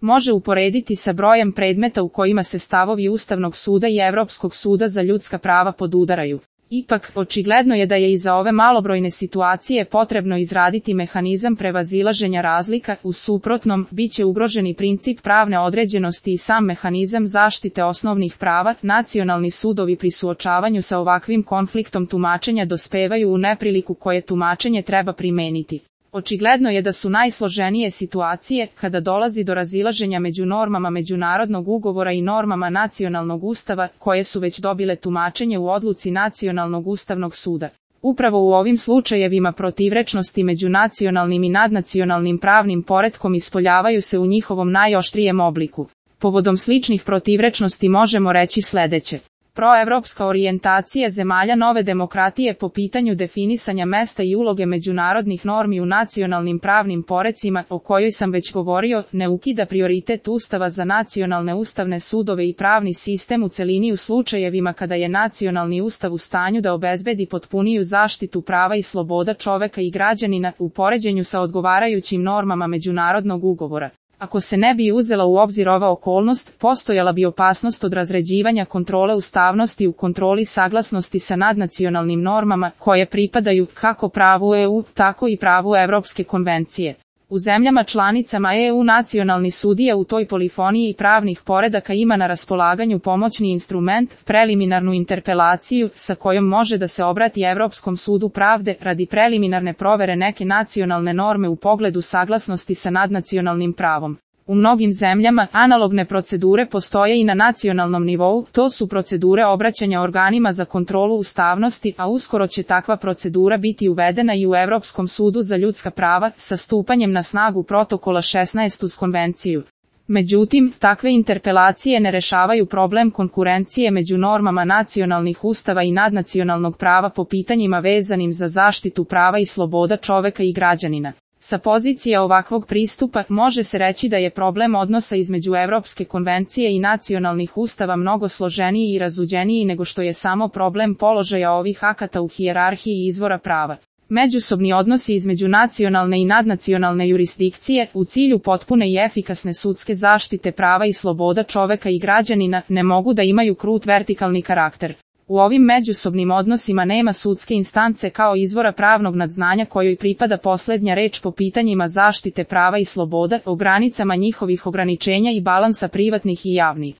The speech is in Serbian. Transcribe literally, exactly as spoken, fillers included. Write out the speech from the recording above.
može uporediti sa brojem predmeta u kojima se stavovi Ustavnog suda i Evropskog suda za ljudska prava podudaraju. Ipak, očigledno je da je i za ove malobrojne situacije potrebno izraditi mehanizam prevazilaženja razlika, u suprotnom, bit će ugroženi princip pravne određenosti i sam mehanizam zaštite osnovnih prava. Nacionalni sudovi pri suočavanju sa ovakvim konfliktom tumačenja dospevaju u nepriliku koje tumačenje treba primeniti. Očigledno je da su najsloženije situacije kada dolazi do razilaženja među normama međunarodnog ugovora i normama nacionalnog ustava, koje su već dobile tumačenje u odluci Nacionalnog ustavnog suda. Upravo u ovim slučajevima protivrečnosti među nacionalnim i nadnacionalnim pravnim poretkom ispoljavaju se u njihovom najoštrijem obliku. Povodom sličnih protivrečnosti možemo reći sledeće. Proevropska orijentacija zemalja nove demokratije po pitanju definisanja mesta i uloge međunarodnih normi u nacionalnim pravnim porecima, o kojoj sam već govorio, ne ukida prioritet Ustava za nacionalne ustavne sudove i pravni sistem u celini u slučajevima kada je nacionalni ustav u stanju da obezbedi potpuniju zaštitu prava i sloboda čoveka i građanina u poređenju sa odgovarajućim normama međunarodnog ugovora. Ako se ne bi uzela u obzir ova okolnost, postojala bi opasnost od razređivanja kontrole ustavnosti u kontroli saglasnosti sa nadnacionalnim normama, koje pripadaju kako pravu E U, tako i pravu Evropske konvencije. U zemljama članicama E U nacionalni sudija u toj polifoniji pravnih poredaka ima na raspolaganju pomoćni instrument, preliminarnu interpelaciju, sa kojom može da se obrati Evropskom sudu pravde radi preliminarne provere neke nacionalne norme u pogledu saglasnosti sa nadnacionalnim pravom. U mnogim zemljama analogne procedure postoje i na nacionalnom nivou, to su procedure obraćanja organima za kontrolu ustavnosti, a uskoro će takva procedura biti uvedena i u Evropskom sudu za ljudska prava sa stupanjem na snagu protokola šesnaest uz konvenciju. Međutim, takve interpelacije ne rešavaju problem konkurencije među normama nacionalnih ustava i nadnacionalnog prava po pitanjima vezanim za zaštitu prava i sloboda čoveka i građanina. Sa pozicije ovakvog pristupa može se reći da je problem odnosa između Evropske konvencije i nacionalnih ustava mnogo složeniji i razuđeniji nego što je samo problem položaja ovih akata u hijerarhiji izvora prava. Međusobni odnosi između nacionalne i nadnacionalne jurisdikcije, u cilju potpune i efikasne sudske zaštite prava i sloboda čoveka i građanina, ne mogu da imaju krut vertikalni karakter. U ovim međusobnim odnosima nema sudske instance kao izvora pravnog nadznanja kojoj pripada poslednja reč po pitanjima zaštite prava i sloboda, o granicama njihovih ograničenja i balansa privatnih i javnih.